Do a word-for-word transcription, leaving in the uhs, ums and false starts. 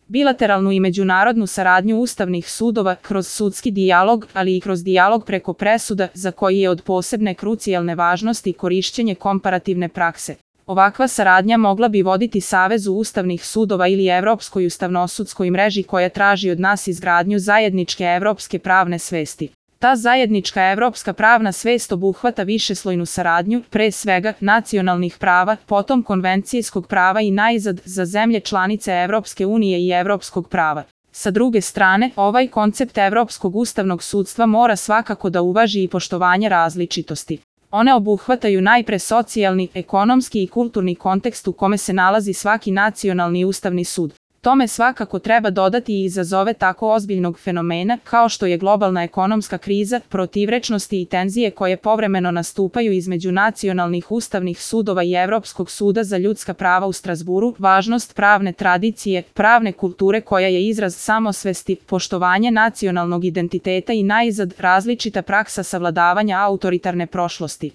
bilateralnu i međunarodnu saradnju ustavnih sudova kroz sudski dijalog, ali i kroz dijalog preko presuda, za koji je od posebne krucijalne važnosti korišćenje komparativne prakse. Ovakva saradnja mogla bi voditi Savezu ustavnih sudova ili Evropskoj ustavnosudskoj mreži koja traži od nas izgradnju zajedničke evropske pravne svesti. Ta zajednička evropska pravna svest obuhvata višeslojnu saradnju, pre svega nacionalnih prava, potom konvencijskog prava i najzad za zemlje članice Evropske unije i evropskog prava. Sa druge strane, ovaj koncept evropskog ustavnog sudstva mora svakako da uvaži i poštovanje različitosti. One obuhvataju najpre socijalni, ekonomski i kulturni kontekst u kome se nalazi svaki nacionalni ustavni sud. Tome svakako treba dodati i izazove tako ozbiljnog fenomena kao što je globalna ekonomska kriza, protivrečnosti i tenzije koje povremeno nastupaju između nacionalnih ustavnih sudova i Evropskog suda za ljudska prava u Strazburu, važnost pravne tradicije, pravne kulture koja je izraz samosvesti, poštovanje nacionalnog identiteta i najzad različita praksa savladavanja autoritarne prošlosti.